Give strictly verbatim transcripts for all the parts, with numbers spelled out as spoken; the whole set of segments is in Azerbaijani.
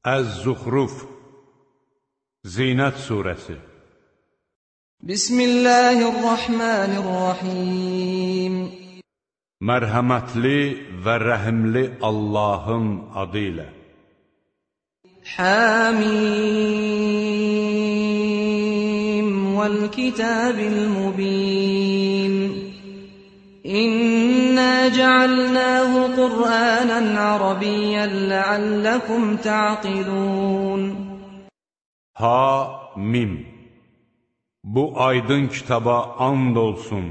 Əz-Zuxruf Zinət Suresi Bismillahirrahmanirrahim Mərhəmətli və rəhimli Allahın adı ilə Hamim Vəl-Kitabil Mubin İnna cealnahu Qur'anan Arabiyyan leallekum ta'qilun Ha-mim Bu aydın kitaba and olsun.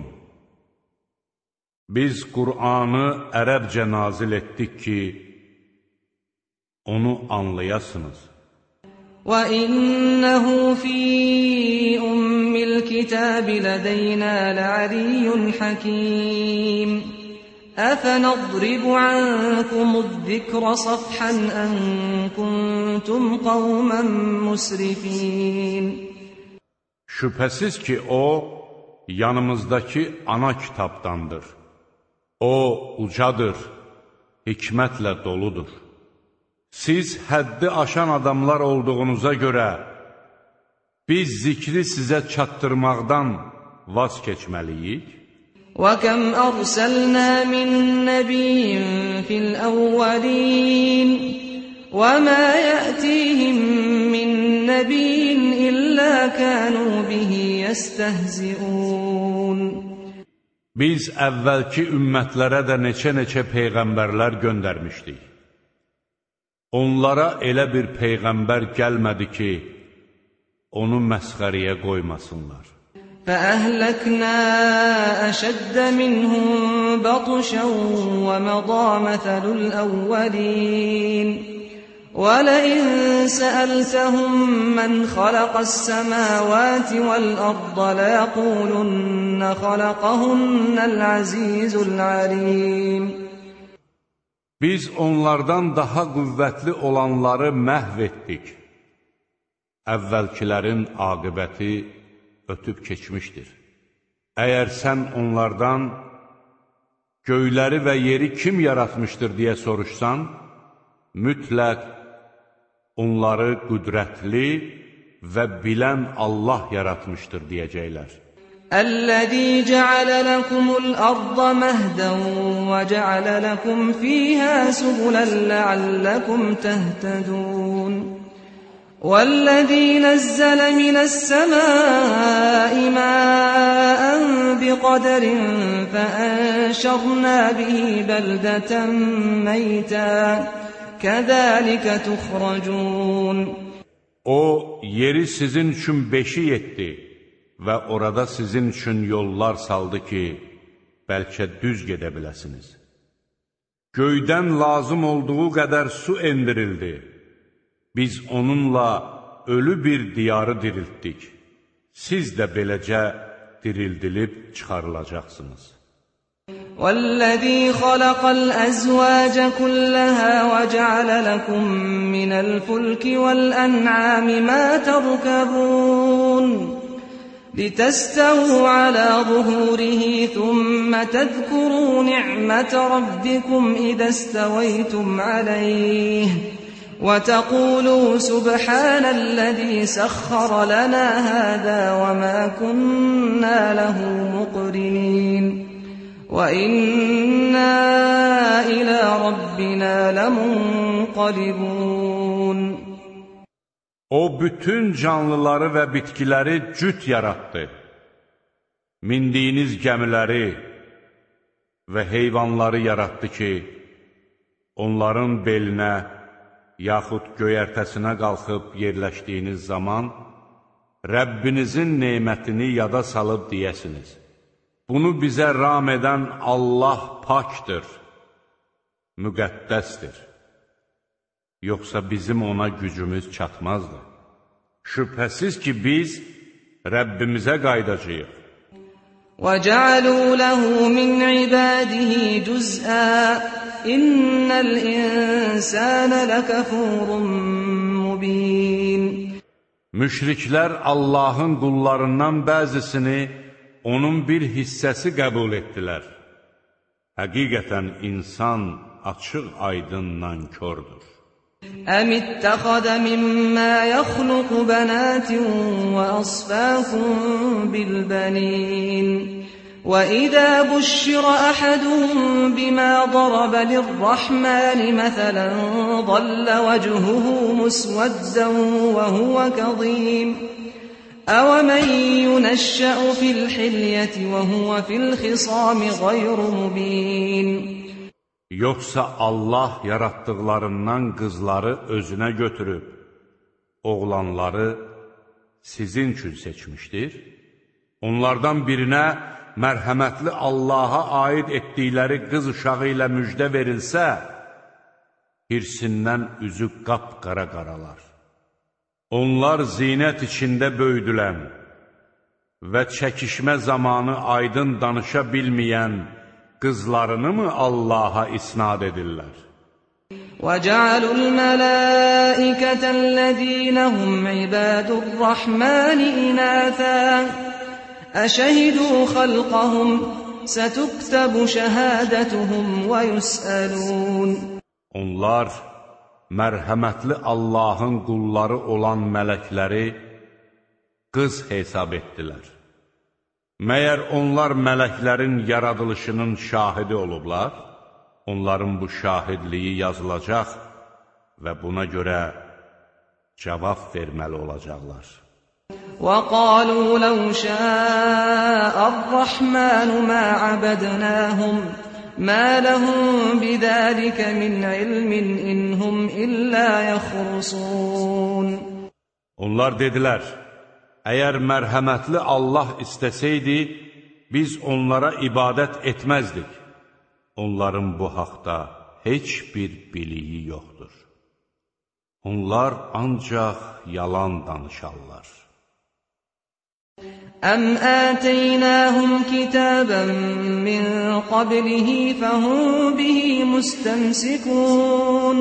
Biz Qur'anı ərəbcə nazil etdik ki, onu anlayasınız. وَإِنَّهُ فِي أُمِّ الْكِتَابِ لَدَيْنَا لَعَلِيٌّ حَكِيمٌ أَفَنَضْرِبُ عَنكُمُ الذِّكْرَ صَفْحًا أَن كُنتُمْ قَوْمًا مُسْرِفِينَ Şübhəsiz ki, o, yanımızdakı ana kitabdandır. O, ucadır, hikmətlə doludur. Siz həddi aşan adamlar olduğunuza görə, biz zikri sizə çatdırmaqdan vaz keçməliyik. وَكَمْ أَرْسَلْنَا مِن نَّبِيٍّ فِي الْأَوَّلِينَ وَمَا يَأْتِيهِم مِّن نَّبِيٍّ إِلَّا كَانُوا بِهِ يَسْتَهْزِئُونَ Biz əvvəlki ümmətlərə də neçə-neçə peyğəmbərlər göndərmişdik. Onlara elə bir peyğəmbər gəlmədi ki, onu məsxəriyə qoymasınlar. فَأَهْلَكْنَا أَشَدَّ مِنْهُمْ بَطْشًا وَمَضَىٰ مَثَلُ الْأَوَّلِينَ وَلَئِن سَأَلْتَهُم مَّنْ خَلَقَ السَّمَاوَاتِ وَالْأَرْضَ لَيَقُولُنَّ خَلَقَهُنَّ الْعَزِيزُ الْعَلِيمُ Biz onlardan daha qüvvətli olanları məhv etdik. Əvvəlkilərin aqibəti ötüb keçmişdir. Əgər sən onlardan göyləri və yeri kim yaratmışdır deyə soruşsan, mütləq onları qüdrətli və bilən Allah yaratmışdır deyəcəklər. الذي جعل لكم الأرض مهدا وجعل لكم فيها سبلا لعلكم تهتدون والذي نزل من السماء ماء بقدر فأنشرنا به بلدة ميتا كذلك تخرجون O, yeri sizin üçün beşik etdi və orada sizin üçün yollar saldı ki, bəlkə düz gedə biləsiniz. Göydən lazım olduğu qədər su endirildi. Biz onunla ölü bir diyarı diriltdik. Siz də beləcə dirildilib çıxarılacaqsınız. وَالَّذِي خَلَقَ الْأَزْوَاجَ كُلَّهَا وَجَعَلَ لَكُم مِّنَ الْفُلْكِ وَالْأَنْعَامِ مَا تَرْكَبُونَ لِتَسْتَوُوا عَلَى ظُهُورِهِ ثُمَّ تَذْكُرُوا نِعْمَةَ رَبِّكُمْ إِذَا اسْتَوَيْتُمْ عَلَيْهِ وَتَقُولُوا سُبْحَانَ الَّذِي سَخَّرَ لَنَا هَذَا وَمَا كُنَّا لَهُ مُقْرِنِينَ وَإِنَّا إِلَى رَبِّنَا لَمُنقَلِبُونَ O, bütün canlıları və bitkiləri cüt yaratdı. Mindiyiniz gəmiləri və heyvanları yaratdı ki, onların belinə, yaxud göyərtəsinə qalxıb yerləşdiyiniz zaman, Rəbbinizin nemətini yada salıb deyəsiniz. Bunu bizə ram edən Allah pakdır, müqəddəsdir. Yoxsa bizim ona gücümüz çatmazdı. Şübhəsiz ki, biz Rəbbimizə qaydacağıq. وَجَعَلُوا لَهُ مِنْ عِبَادِهِ جُزْءًا إِنَّ الْإِنسَانَ لَكَفُورٌ مُّبِينٌ Müşriklər Allahın qullarından bəzisini onun bir hissəsi qəbul etdilər. Həqiqətən insan açıq aydın nankördür. أَمِ اتَّخَذَ مِمَّا يَخْلُقُ بَنَاتٍ وَأَصْفَاكُم بِالْبَنِينَ وَإِذَا بُشِّرَ أَحَدُهُم بِمَا ضَرَبَ لِلرَّحْمَنِ مَثَلًا ظَلَّ وَجْهُهُ مُسْوَدًّا وَهُوَ كَظِيمٌ أَوَمَن يُنَشَّأُ فِي الْحِلْيَةِ وَهُوَ فِي الْخِصَامِ غَيْرُ مُبِينٍ Yoxsa Allah yaratdıqlarından qızları özünə götürüb, oğlanları sizin üçün seçmişdir. Onlardan birinə mərhəmətli Allaha aid etdikləri qız uşağı ilə müjdə verilsə, hirsindən üzü qapqara qaralar. Onlar zinət içində böyüdülən və çəkişmə zamanı aydın danışa bilməyən qızlarını mı Allaha isnad edirlər? وَجَعَلُوا الْمَلَائِكَةَ الَّذِينَ هُمْ عِبَادُ الرَّحْمَنِ إِنَاثًا أَشَهِدُوا خَلْقَهُمْ سَتُكْتَبُ شَهَادَتُهُمْ وَيُسْأَلُونَ Onlar mərhəmətli Allahın qulları olan mələkləri qız hesab etdilər. Məyər onlar mələklərin yaradılışının şahidi olublar? Onların bu şahidliyi yazılacaq və buna görə cavab verməli olacaqlar. وَقَالُوا لَوْ شَاءَ الرَّحْمَنُ مَا عَبَدْنَاهُمْ مَا لَهُمْ بِذَلِكَ مِنْ عِلْمٍ إِنْ هُمْ إِلَّا يَخْرُصُونَ Onlar dedilər, əgər mərhəmətli Allah istəsəydi, biz onlara ibadət etməzdik. Onların bu haqda heç bir biliyi yoxdur. Onlar ancaq yalan danışarlar. أَمْ آتَيْنَاهُمْ كِتَابًا مِّن قَبْلِهِ فَهُمْ بِهِ مُسْتَمْسِكُونَ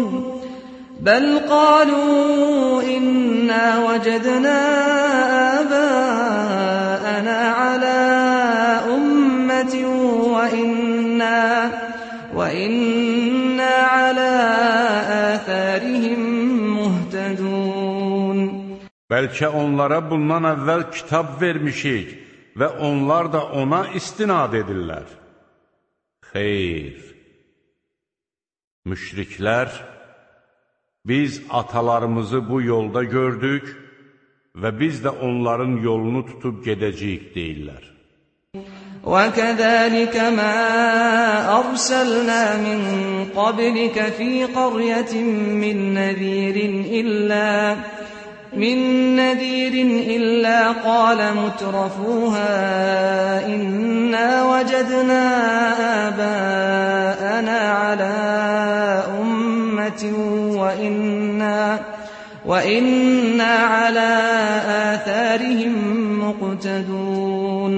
بَلْ قَالُوا إِنَّا وَجَدْنَا آبَاءَنَا عَلَى أُمَّةٍ وَإِنَّا وَإِنَّا عَلَى آثَارِهِمْ مُهْتَدُونَ Bəlkə onlara bundan əvvəl kitab vermişik və onlar da ona istinad edirlər. Xeyr! Müşriklər, biz atalarımızı bu yolda gördük və biz də onların yolunu tutub gedəcəyik deyirlər. وَكَذَلِكَ مَا أَرْسَلْنَا مِنْ قَبْلِكَ فِي قَرْيَةٍ مِّن نَّذِيرٍ إِلَّا مِن نَّذِيرٍ إِلَّا قَالَ مُتْرَفُوهَا إِنَّا وَجَدْنَا آبَاءَنَا عَلَى أُمَّةٍ وَإِنَّا وَإِنَّا عَلَى آثَارِهِمْ مُقْتَدُونَ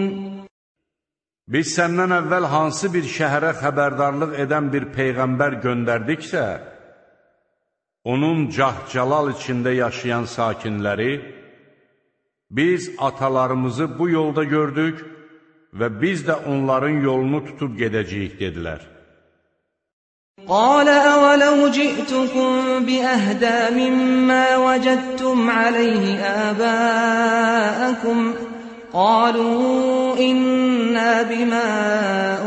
Biz səndən əvvəl hansı bir şəhərə xəbərdarlıq edən bir peyğəmbər göndərdiksə, onun cah-calal içində yaşayan sakinləri, biz atalarımızı bu yolda gördük və biz də onların yolunu tutub gedəcəyik, dedilər. قَالَ أَوَلَوْ جِئْتُكُمْ بِأَهْدَى مِمَّا وَجَدتُّمْ عَلَيْهِ آبَاءَكُمْ قَالُوا إِنَّا بِمَا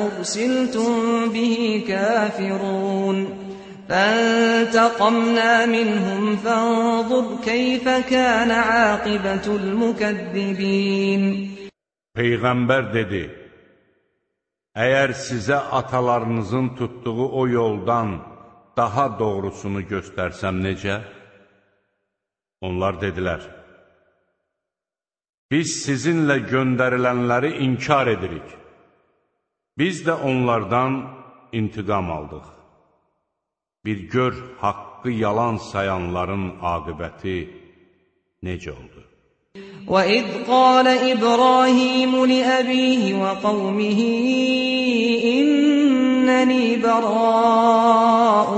أُرْسِلْتُمْ بِهِ كَافِرُونَ فَانْتَقَمْنَا مِنْهُمْ فَانظُرْ كَيْفَ كَانَ عَاقِبَةُ الْمُكَذِّبِينَ Peyğəmbər dedi, əgər sizə atalarınızın tutduğu o yoldan daha doğrusunu göstərsəm necə? Onlar dedilər, biz sizinlə göndərilənləri inkar edirik. Biz də onlardan intiqam aldıq. Bir gör haqqı yalan sayanların aqibəti necə oldu? وَإِذْ قَالَ إِبْرَاهِيمُ لِأَبِيهِ وَقَوْمِهِ إِنَّنِي بَرَاءٌ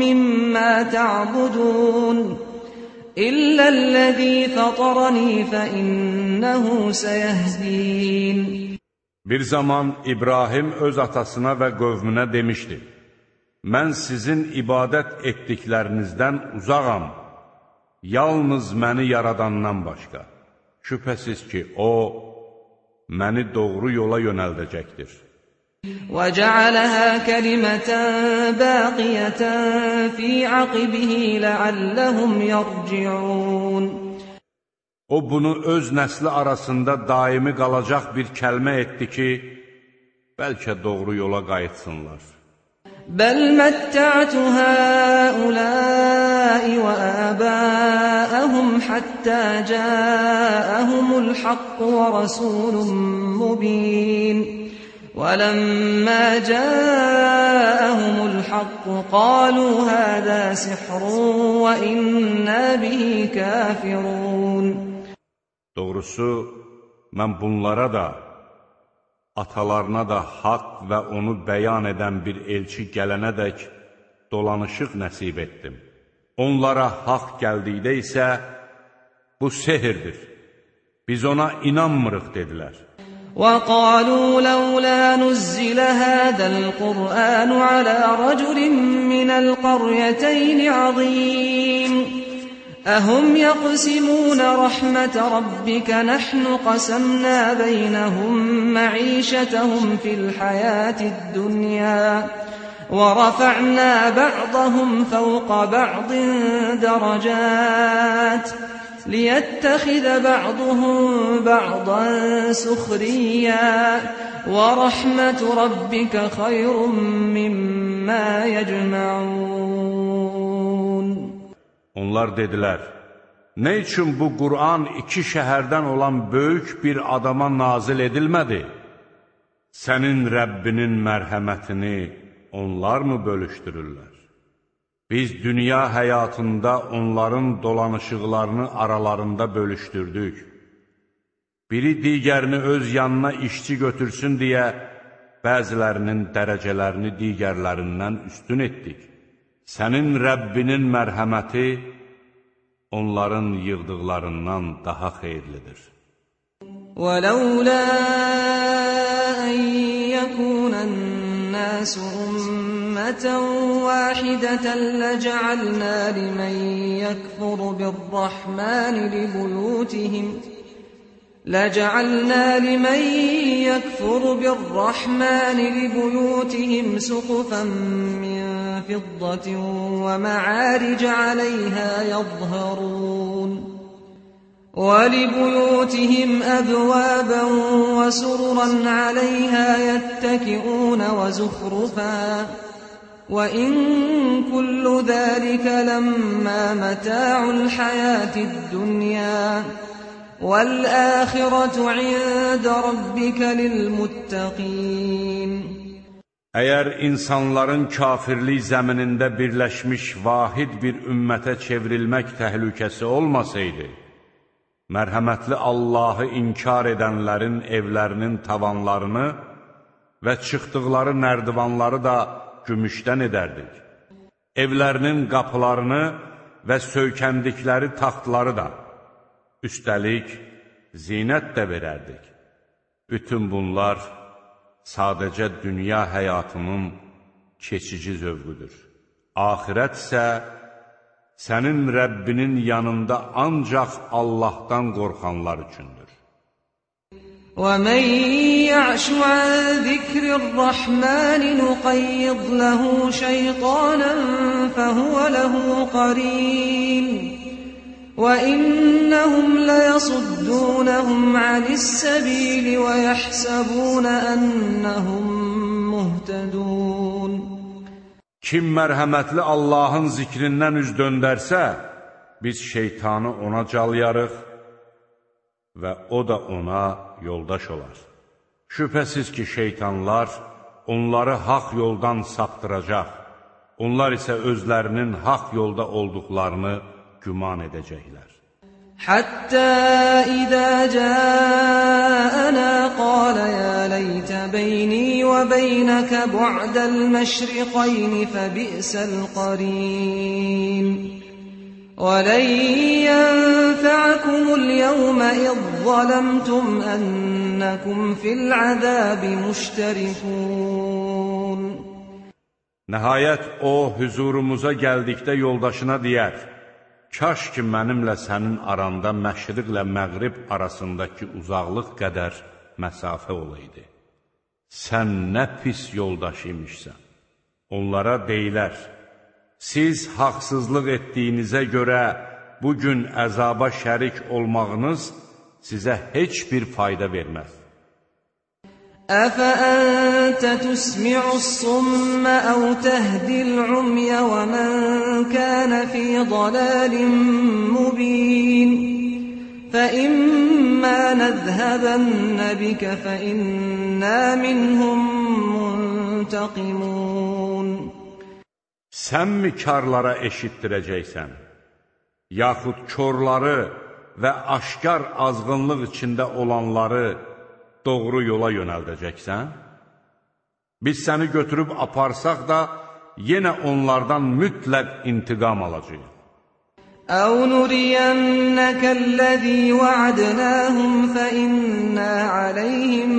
مِّمَّا تَعْبُدُونَ إِلَّا الَّذِي فَطَرَنِي فَإِنَّهُ سَيَهْدِينِ Bir zaman İbrahim öz atasına və qövmünə demişdi, mən sizin ibadət etdiklərinizdən uzağam, yalnız məni yaradandan başqa. Şübhəsiz ki, O, məni doğru yola yönəldəcəkdir. وَجَعَلَهَا كَلِمَةً بَاقِيَةً فِي عَقِبِهِ لَعَلَّهُمْ يَرْجِعُونَ O, bunu öz nəsli arasında daimi qalacaq bir kəlmə etdi ki, bəlkə doğru yola qayıtsınlar. بَلْ مَتَّعْتُ هَؤُلَاءِ وَآبَاءَهُمْ حَتَّى جَاءَهُمُ الْحَقُّ وَرَسُولٌ مُّبِينٌ وَلَمَّا جَاءَهُمُ الْحَقُّ قَالُوا هَذَا سِحْرٌ وَإِنَّا بِهِ كَافِرُونَ Doğrusu, mən bunlara da, atalarına da haqq və onu bəyan edən bir elçi gələnədək dolanışıq nəsib etdim. Onlara haqq gəldikdə isə, bu sehirdir, biz ona inanmırıq, dedilər. وَقَالُوا لَوْلَا نُزِّلَ هَذَا الْقُرْآنُ عَلَى رَجُلٍ مِّنَ الْقَرْيَتَيْنِ عَظِيمٍ أَهُمْ يَقْسِمُونَ رَحْمَةَ رَبِّكَ نَحْنُ قَسَمْنَا بَيْنَهُم مَّعِيشَتَهُمْ فِي الْحَيَاةِ الدُّنْيَا وَرَفَعْنَا بَعْضَهُمْ فَوْقَ بَعْضٍ دَرَجَاتٍ لِيَتَّخِذَ بَعْضُهُم بَعْضًا سُخْرِيًّا وَرَحْمَةُ رَبِّكَ خَيْرٌ مِّمَّا يَجْمَعُونَ Onlar dedilər, nə üçün bu Qur'an iki şəhərdən olan böyük bir adama nazil edilmədi? Sənin Rəbbinin mərhəmətini onlar mı bölüşdürürlər? Biz dünya həyatında onların dolanışıqlarını aralarında bölüşdürdük. Biri digərini öz yanına işçi götürsün deyə bəzilərinin dərəcələrini digərlərindən üstün etdik. Sənin Rəbbinin mərhəməti onların yığdıqlarından daha xeyirlidir. وَلَوْلَا أَن يَكُونَ النَّاسُ أُمَّةً وَاحِدَةً لَّجَعَلْنَا لِمَن يَكْفُرُ بِالرَّحْمَٰنِ لِبُيُوتِهِمْ لَجَعَلْنَا لِمَن يَكْفُرُ بِالرَّحْمَٰنِ لِبُيُوتِهِمْ سُقُفًا مِّن فِضَّةٍ وَمَعَارِجَ عَلَيْهَا يَظْهَرُونَ وَلِبُيُوتِهِمْ أَبْوَابًا وَسُرُرًا عَلَيْهَا يَتَّكِئُونَ وَزُخْرُفًا وَإِن كُلُّ ذَلِكَ لَمَّا مَتَاعُ الْحَيَاةِ الدُّنْيَا وَالْآخِرَةُ عِندَ رَبِّكَ لِلْمُتَّقِينَ Əgər insanların kafirlik zəminində birləşmiş vahid bir ümmətə çevrilmək təhlükəsi olmasaydı, mərhəmətli Allahı inkar edənlərin evlərinin tavanlarını və çıxdıqları nərdivanları da gümüşdən edərdik. Evlərinin qapılarını və söykəndikləri taxtları da, üstəlik zinət də verərdik. Bütün bunlar sadəcə dünya həyatının keçici zövqüdür. Axirət isə sənin Rəbbinin yanında ancaq Allahdan qorxanlar üçündür. وَمَن يَعْشُ عَن ذِكْرِ الرَّحْمَٰنِ نُقَيِّضْ لَهُ شَيْطَانًا فَهُوَ لَهُ قَرِينٌ وَإِنَّهُمْ لَيَصُدُّونَهُمْ عَنِ السَّبِيلِ وَيَحْسَبُونَ أَنَّهُمْ مُهْتَدُونَ Kim mərhəmətli Allahın zikrindən üz döndərsə, biz şeytanı ona calyarıq və o da ona yoldaş olar. Şübhəsiz ki, şeytanlar onları haqq yoldan saptıracaq, onlar isə özlərinin haqq yolda olduqlarını güman edəcəklər. Həttə idə cəənə qalə yə leytə beyni və beynəkə bu'dəl məşriqəyni fəbi'səl qarin. وَلَنْ يَنْفَعَكُمُ الْيَوْمَ إِذْ ظَلَمْتُمْ أَنَّكُمْ فِي الْعَذَابِ مُشْتَرِكُونَ Nəhayət o, hüzurumuza gəldikdə yoldaşına deyər, kaş ki, mənimlə sənin aranda məşriqlə məğrib arasındakı uzaqlıq qədər məsafə olaydı. Sən nə pis yoldaş imişsən. Onlara deyilər, siz haqsızlıq etdiyinizə görə bugün əzaba şərik olmağınız sizə heç bir fayda verməz. أفأنت تسمع الصم أو تهدي العمي ومن كان في ضلال مبين فإما نذهبن بك فإنا منهم منتقمون. Sən mi karlara eşitdirəcəksən, yaxud körları və aşkar azğınlıq içində olanları doğru yola yönəldəcəksən? Biz səni götürüb aparsaq da, yenə onlardan mütləq intiqam alacağıq. أَوْ نُرِيَنَّكَ الَّذِي وَعَدْنَاهُمْ فَإِنَّا عَلَيْهِمْ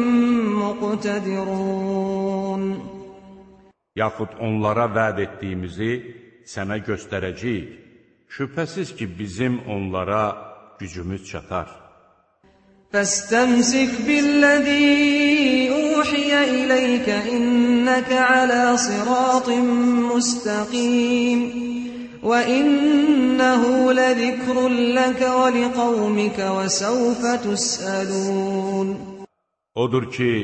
مُقْتَدِرُونَ. Yaxud onlara vəd etdiyimizi sənə göstərəcəyik. Şübhəsiz ki, bizim onlara gücümüz çatar. فَاسْتَمْسِكْ بِالَّذِي أُوحِيَ إِلَيْكَ إِنَّكَ عَلَى صِرَاطٍ مُسْتَقِيمٍ وَإِنَّهُ لَذِكْرٌ لَكَ وَلِقَوْمِكَ وَسَوْفَ تُسْأَلُونَ. Odur ki,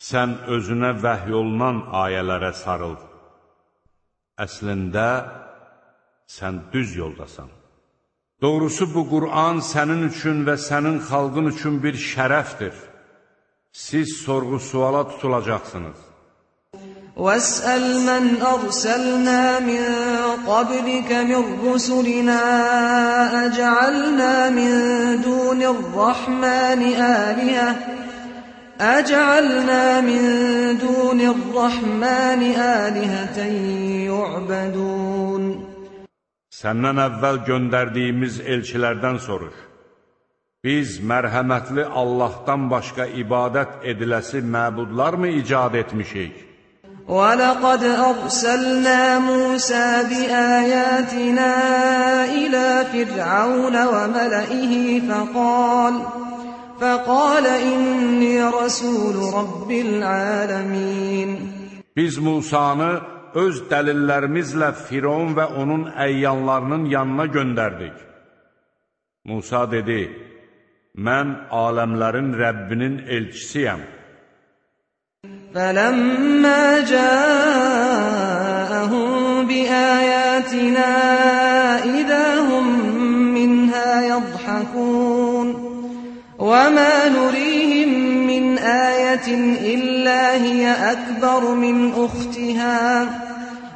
sən özünə vəhy olunan ayələrə sarıl. Əslində, sən düz yoldasan. Doğrusu bu Qur'an sənin üçün və sənin xalqın üçün bir şərəfdir. Siz sorğu-suala tutulacaqsınız. وَاسْأَلْ مَنْ أَرْسَلْنَا مِنْ قَبْلِكَ مِنْ رُسُلِنَا أَجَعَلْنَا مِنْ دُونِ الرَّحْمَنِ آلِهَةً أَجَعَلْنَا مِنْ دُونِ الرَّحْمَنِ آلِهَةً يُعْبَدُونَ. Səndən əvvəl göndərdiyimiz elçilərdən soruş. Biz mərhəmətli Allahdan başqa ibadət ediləsi məbudlar mı icad etmişik? وَلَقَدْ أَرْسَلْنَا مُوسَى بِآيَاتِنَا إِلَى فِرْعَوْنَ وَمَلَئِهِ فَقَالَ فَقَالَ إِنِّي رَسُولُ رَبِّ الْعَالَمِينَ. Biz Musanı öz dəlillərimizlə Firon və onun əyyanlarının yanına göndərdik. Musa dedi, mən aləmlərin Rəbbinin elçisiyəm. فَلَمَّا جَاءَهُم بِآيَاتِنَا إِذَا هُم مِّنْهَا يَضْحَكُونَ وَمَا نُرِيهِم مِّنْ آيَةٍ إِلَّا هِيَ أَكْبَرُ مِنْ أُخْتِهَا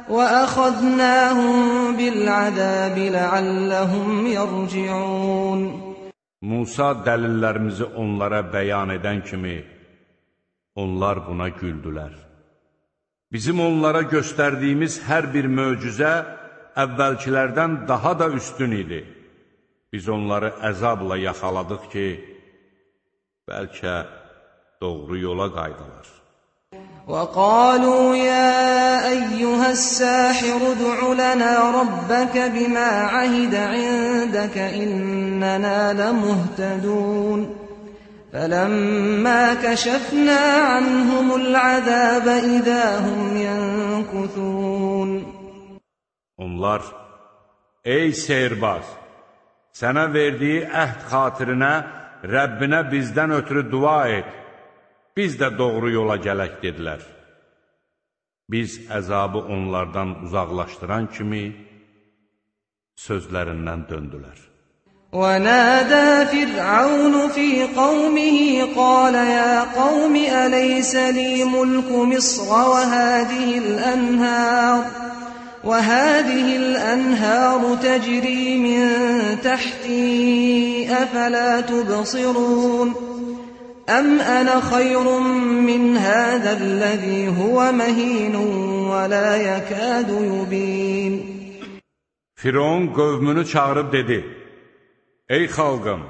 وَأَخَذْنَاهُم بِالْعَذَابِ لَعَلَّهُمْ يَرْجِعُونَ. Musa dəlillərimizi onlara bəyan edən kimi, onlar buna güldülər. Bizim onlara göstərdiyimiz hər bir möcüzə əvvəlkilərdən daha da üstün idi. Biz onları əzabla yaxaladıq ki, bəlkə doğru yola qaydılar. وَقَالُوا يَا أَيُّهَا السَّاحِرُ ادْعُ لَنَا رَبَّكَ بِمَا عَهِدَ عِندَكَ إِنَّنَا لَمُهْتَدُونَ فَلَمَّا كَشَفْنَا عَنْهُمُ الْعَذَابَ إِذَا هُمْ يَنكُثُونَ. Onlar, ey seyirbaz, sənə verdiyi əhd xatirinə Rəbbinə bizdən ötürü dua et, biz də doğru yola gələk dedilər. Biz əzabı onlardan uzaqlaşdıran kimi sözlərindən döndülər. وَنَادَى فِرْعَوْنُ فِي قَوْمِهِ قَالَ يَا قَوْمِ أَلَيْسَ لِي مُلْكُ مِصْرَ وَهَٰذِهِ الْأَنْهَارُ وَهَٰذِهِ الْأَنْهَارُ تَجْرِي مِن تَحْتِي أَفَلَا تُبْصِرُونَ أَمْ أَنَا خَيْرٌ مِّنْ هَٰذَا الَّذِي هُوَ مَهِينٌ وَلَا يَكَادُ يُبِينُ. Firon qövmünü çağırıb dedi, ey xalqım,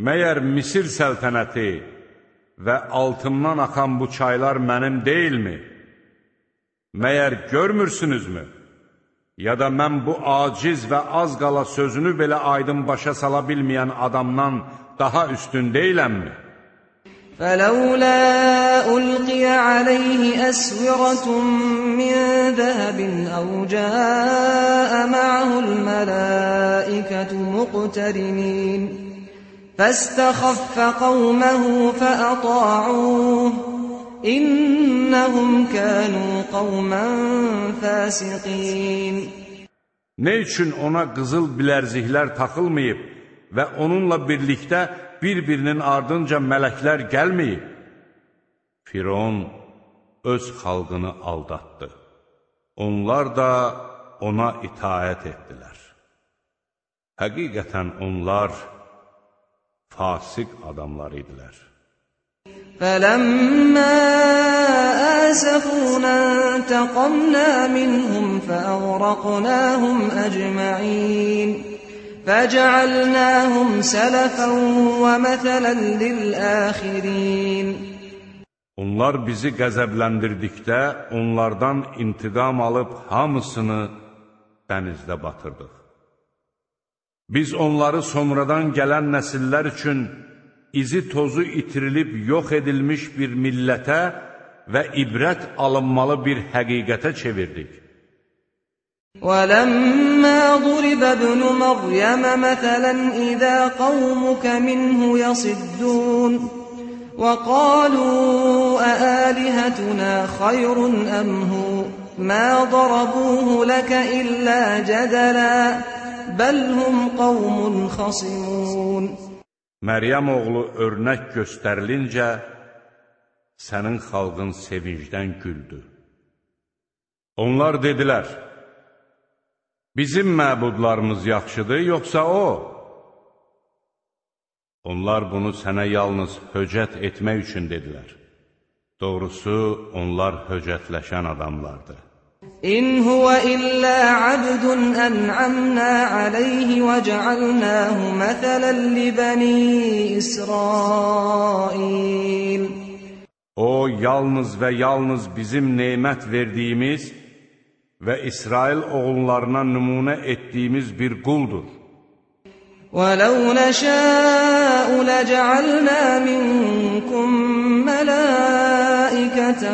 məyər Misir səltənəti və altımdan axan bu çaylar mənim deyilmi? Məyər görmürsünüzmü? Ya da mən bu aciz və az qala sözünü belə aydın başa sala bilməyən adamdan daha üstün deyiləmmi? فَلَوْلَا أُلْقِيَ عَلَيْهِ أَسْوِرَةٌ مِّن ذَهَبٍ أَوْ جَاءَ مَعَهُ الْمَلَائِكَةُ مُقْتَرِنِينَ فَاسْتَخَفَّ قَوْمَهُ فَأَطَاعُوهُ إِنَّهُمْ كَانُوا قَوْمًا فَاسِقِينَ. Ne üçün ona qızıl bilərziklər taxılmayıb və onunla birlikdə bir-birinin ardınca mələklər gəlməyib? Firon öz xalqını aldatdı. Onlar da ona itaət etdilər. Həqiqətən onlar fasik adamlar idilər. فَلَمَّا آسَفُونَا انتَقَمْنَا مِنْهُمْ فَأَغْرَقْنَاهُمْ أَجْمَعِينَ فَجَعَلْنَاهُمْ سَلَفًا وَمَثَلًا لِلْآخِرِينَ. Onlar bizi qəzəbləndirdikdə onlardan intiqam alıb hamısını dənizdə batırdıq. Biz onları sonradan gələn nəsillər üçün izi tozu itirilib yox edilmiş bir millətə və ibrət alınmalı bir həqiqətə çevirdik. وَلَمَّا ضُرِبَ ابْنُ مَرْيَمَ مَثَلًا إِذَا قَوْمُكَ مِنْهُ يَصِدُّونَ وَقَالُوا أَآلِهَتُنَا خَيْرٌ أَمْ هُوَ مَا ضَرَبُوهُ لَكَ إِلَّا جَدَلًا بَلْ هُمْ قَوْمٌ خَصِمُونَ. Məryəm oğlu örnək göstərilincə, sənin xalqın sevincdən güldü. Onlar dedilər, bizim məbudlarımız yaxşıdır, yoxsa o? Onlar bunu sənə yalnız höcət etmək üçün dedilər. Doğrusu, onlar höcətləşən adamlardır. İn huwa illa abdun an'amna alayhi ve cealnahu meselen li bani İsrail. O yalnız və yalnız bizim nemət verdiyimiz və İsrail oğullarına nümunə etdiyimiz bir quldur. وَلَوْ نَشَاءُ لَجَعَلْنَا مِنْكُمْ مَلَائِكَةً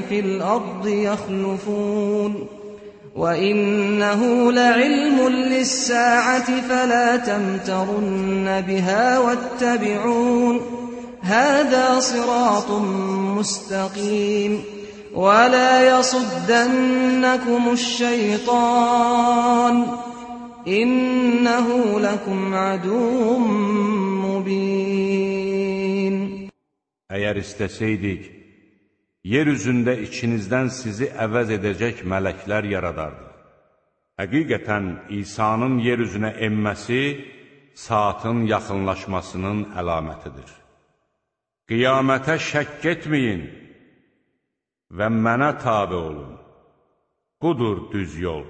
فِي الْأَرْضِ يَخْلُفُونَ وَإِنَّهُ لَعِلْمٌ لِلسَّاعَةِ فَلَا تَمْتَرُنَّ بِهَا وَاتَّبِعُونِ هَذَا صِرَاطٌ مُسْتَقِيمٌ وَلَا يَصُدَّنَّكُمُ الشَّيْطَانُ İnnehu lekum aduvun mubin. Əgər istəsəydik, yer üzündə içinizdən sizi əvəz edəcək mələklər yaradardıq. Həqiqətən İsa'nın yer üzünə enməsi saatın yaxınlaşmasının əlamətidir. Qiyamətə şəkk etməyin və mənə tabe olun. Budur düz yol.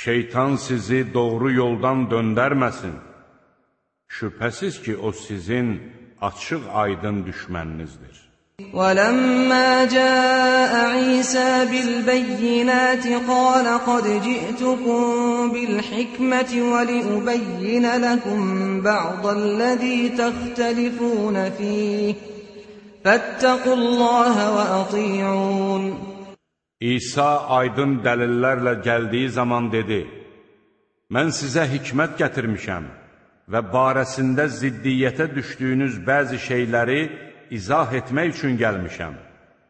Şeytan sizi doğru yoldan döndərməsin. Şübhəsiz ki, o sizin açıq aydın düşməninizdir. وَلَمَّا جَاءَ عِيسَى بِالْبَيِّنَاتِ قَالَ قَدْ جِئْتُكُمْ بِالْحِكْمَةِ وَلِأُبَيِّنَ لَكُمْ بَعْضَ الَّذِي تَخْتَلِفُونَ فِيهِ فَاتَّقُوا اللَّهَ وَأَطِيعُونَ. İsa aydın dəlillərlə gəldiyi zaman dedi, mən sizə hikmət gətirmişəm və barəsində ziddiyyətə düşdüyünüz bəzi şeyləri izah etmək üçün gəlmişəm.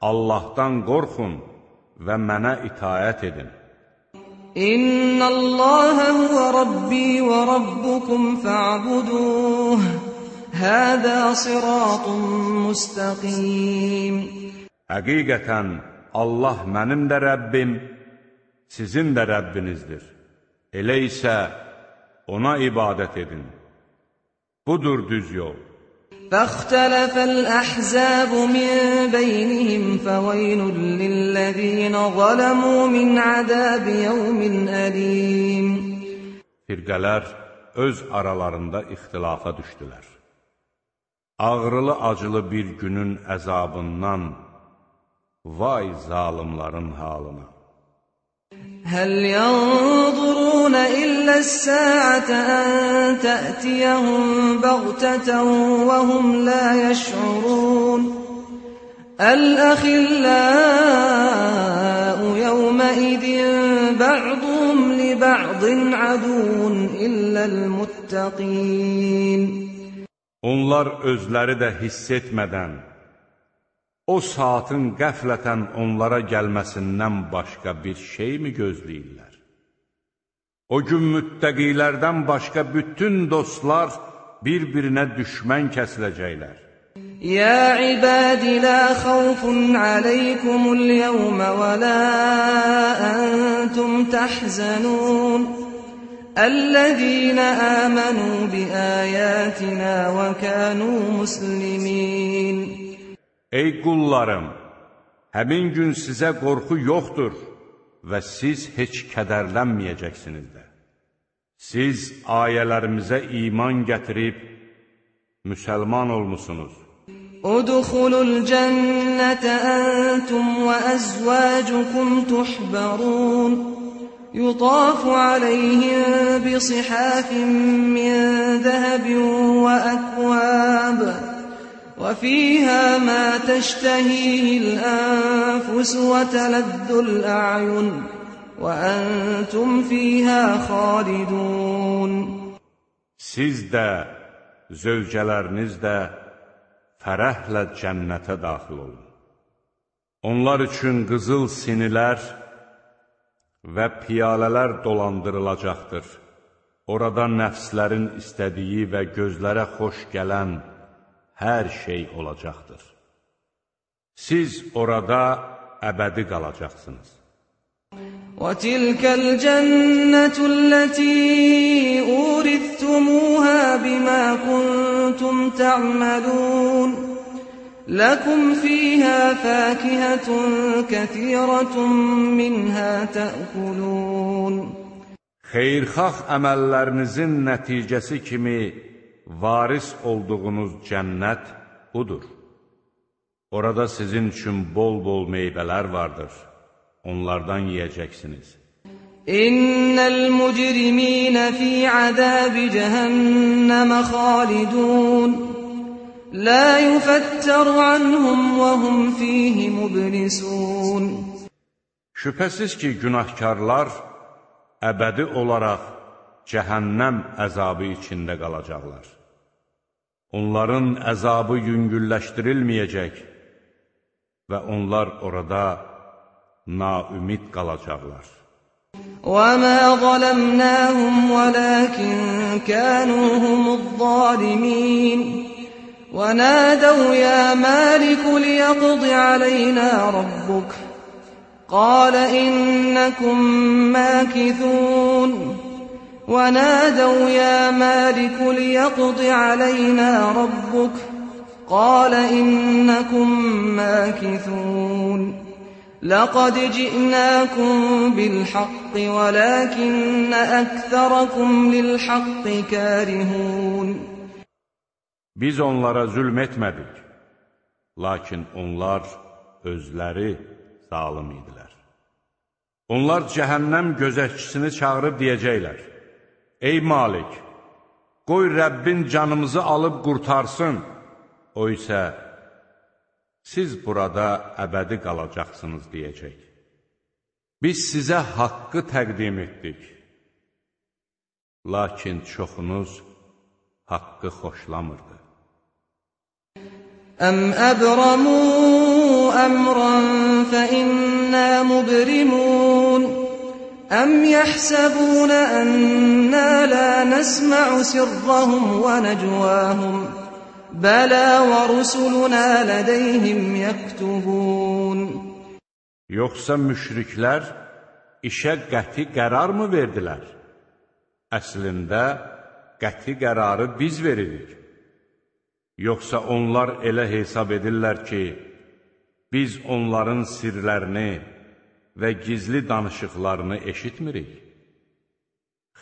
Allahdan qorxun və mənə itaət edin. İnnəlləhə huvə Rabbi və Rabbukum fa'buduh, həzə siratun müstəqim. Həqiqətən, Allah mənim də Rəbbim, sizin də Rəbbinizdir. Elə isə ona ibadət edin. Budur düz yol. فَاخْتَلَفَ الْأَحْزَابُ مِنْ بَيْنِهِمْ فَوَيْلٌ لِلَّذِينَ ظَلَمُوا مِنْ عَذَابِ يَوْمٍ أَلِيمٍ. Firqələr öz aralarında ixtilafa düşdülər. Ağrılı acılı bir günün əzabından Vay zalimların halına. هل ينظرون إلا الساعة أن تأتيهم بغتة وهم لا يشعرون الأخلاء يومئذ بعضهم لبعض عدو إلا المتقين. Onlar özləri də hiss etmədən, o saatın qəflətən onlara gəlməsindən başqa bir şey mi gözləyirlər? O gün müttəqilərdən başqa bütün dostlar bir-birinə düşmən kəsiləcəklər. يا عباد لا خوف عليكم اليوم ولا أنتم تحزنون الذين آمنوا بآياتنا وكانوا مسلمين. Ey qullarım, həmin gün sizə qorxu yoxdur və siz heç kədərlənməyəcəksiniz də. Siz ayələrimizə iman gətirib, müsəlman olmusunuz. ادخلوا الجنة أنتم وأزواجكم تحبرون يطاف عليهم بصحاف من ذهب وأكواب وفيها ما تشتهيه الأنفس وتلذ الأعين وأنتم فيها خالدون. Siz də, zövcələriniz də fərəhlə cənnətə daxil olun. Onlar üçün qızıl sinilər və piyalələr dolandırılacaqdır. Orada nəfslərin istədiyi və gözlərə xoş gələn hər şey olacaqdır. Siz orada əbədi qalacaqsınız. وَتِلْكَ الْجَنَّةُ الَّتِي أُورِثْتُمُوهَا بِمَا كُنتُمْ تَعْمَلُونَ لَكُمْ فِيهَا فَاكِهَةٌ كَثِيرَةٌ مِنْهَا تَأْكُلُونَ. Xeyirxah əməllərinizin nəticəsi kimi varis olduğunuz cənnət budur. Orada sizin üçün bol-bol meyvələr vardır. Onlardan yiyəcəksiniz. İnnel mujrimina fi azab cehennem xalidun la yufattaru anhum ve hum fihi mublisun. Şübhəsiz ki, günahkarlar əbədi olaraq cəhənnəm əzabı içində qalacaqlar. Onların əzabı yüngülləşdirilməyəcək və onlar orada naümid qalacaqlar. وَمَا ظَلَمْنَاهُمْ وَلَكِنْ كَانُوا هُمُ الظَّالِمِينَ وَنَادَوْا يَا مَالِكُ لِيَقْضِ عَلَيْنَا رَبُّكَ قَالَ إِنَّكُمْ مَاكِثُونَ وَنَادَوْا يَا مَالِكُ لِيَقْضِ عَلَيْنَا رَبُّكَ قَالَ إِنَّكُمْ مَاكِثُونَ لَقَدْ جِئْنَاكُمْ بِالْحَقِّ وَلَكِنَّ أَكْثَرَكُمْ لِلْحَقِّ كَارِهُونَ. Biz onlara zülm etmədik, lakin onlar özləri zalim idilər. Onlar cəhənnəm gözətçisini çağırıb deyəcəklər: Ey Malik, qoy Rəbbin canımızı alıb qurtarsın. O isə siz burada əbədi qalacaqsınız deyəcək. Biz sizə haqqı təqdim etdik. Lakin çoxunuz haqqı xoşlamırdı. Əm əbramu əmran fə innə mubrimun Əm yəhsəbunə ənnə lə nəsmə'u sirrahum və nəcvahum Bələ və rusuluna lədəyhim yəktubun. Yoxsa müşriklər işə qəti qərar mı verdilər? Əslində qəti qərarı biz veririk. Yoxsa onlar elə hesab edirlər ki, biz onların sirlərini və gizli danışıqlarını eşitmirik?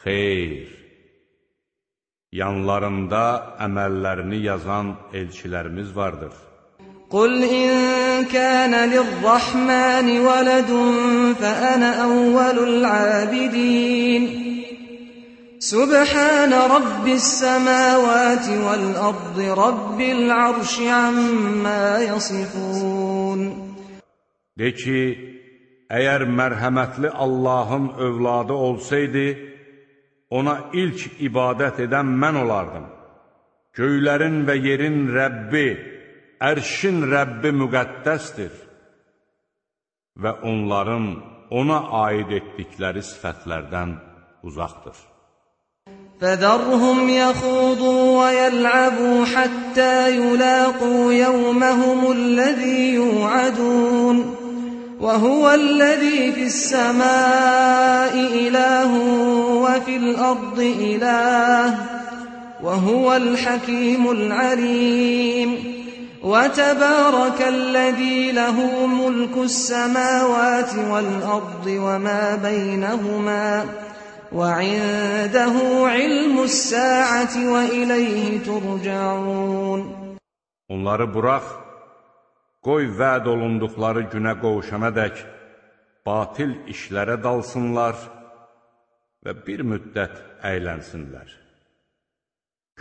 Xeyr! Yanlarında əməllərini yazan elçilərimiz vardır. قل إن كان للرحمن ولد فأنا أول العابدين سبحان رب السماوات والأرض رب العرش عما يصفون. De ki, əgər mərhəmətli Allahın övladı olsaydı, ona ilk ibadət edən mən olardım. Göylərin və yerin Rəbbi, ərşin Rəbbi müqəddəsdir və onların ona aid etdikləri sifətlərdən uzaqdır. فَذَرْهُمْ يَخُوضُوا وَيَلْعَبُوا حَتَّى يُلَاقُوا يَوْمَهُمُ الَّذِي يُوعَدُونَ وَهُوَ الَّذِي فِي السَّمَاءِ إِلَٰهٌ وَفِي الْأَرْضِ إِلَٰهٌ وَهُوَ الْحَكِيمُ الْعَلِيمُ. وَتَبَارَكَ الَّذِي لَهُ مُلْكُ السَّمَاوَاتِ وَالْأَرْضِ وَمَا بَيْنَهُمَا وَعِندَهُ عِلْمُ السَّاعَةِ وَإِلَيْهِ تُرْجَعُونَ. Onları burax, qoy vəd olunduqları günə qovuşana dək batil işlərə dalsınlar və bir müddət əylənsinlər.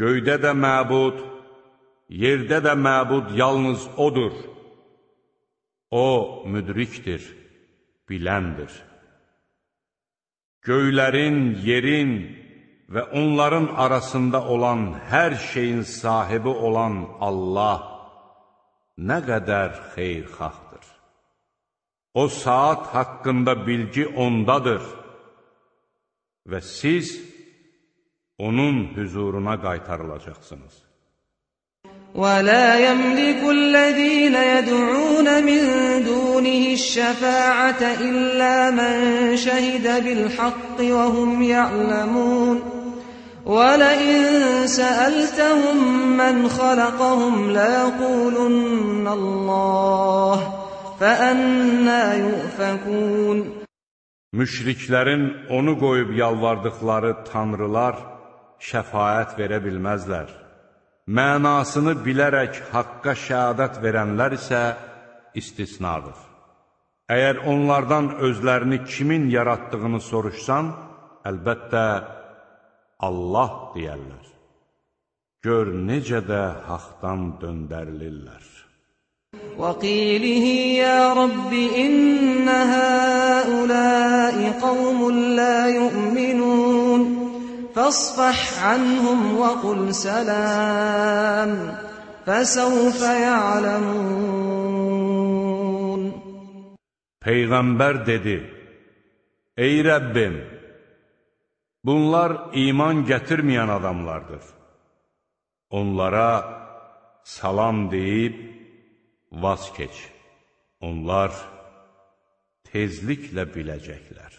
Göydə də məbud, yerdə də məbud yalnız odur. O, müdrikdir, biləndir. Göylərin, yerin və onların arasında olan hər şeyin sahibi olan Allah nə qədər xeyirxahdır. O saat haqqında bilgi ondadır və siz onun hüzuruna qaytarılacaqsınız. وَلَا يَمْلِكُ الَّذِينَ يَدْعُونَ مِن دُونِهِ الشَّفَاعَةَ إِلَّا مَن شَهِدَ بِالْحَقِّ وَهُمْ يَعْلَمُونَ وَلَئِن سَأَلْتَهُم مَّنْ خَلَقَهُمْ لَيَقُولُنَّ اللَّهُ فَأَنَّىٰ يُؤْفَكُونَ. Müşriklərin onu qoyub yalvardıqları tanrılar şəfaət verə bilməzlər. Mənasını bilərək haqqa şəhadət verənlər isə istisnadır. Əgər onlardan özlərini kimin yaratdığını soruşsan, əlbəttə Allah deyərlər. Gör necə də haqdan döndərilirlər. وَقِيلِهِ يَا رَبِّ إِنَّ هَٰؤُلَاءِ قَوْمٌ لَّا يُؤْمِنُونَ فَاصْفَحْ عَنْهُمْ وَقُلْ سَلَامٌ فَسَوْفَ يَعْلَمُونَ. Peyğəmbər dedi: Ey Rəbbim, bunlar iman gətirməyən adamlardır. Onlara salam deyib vaz keç. Onlar tezliklə biləcəklər.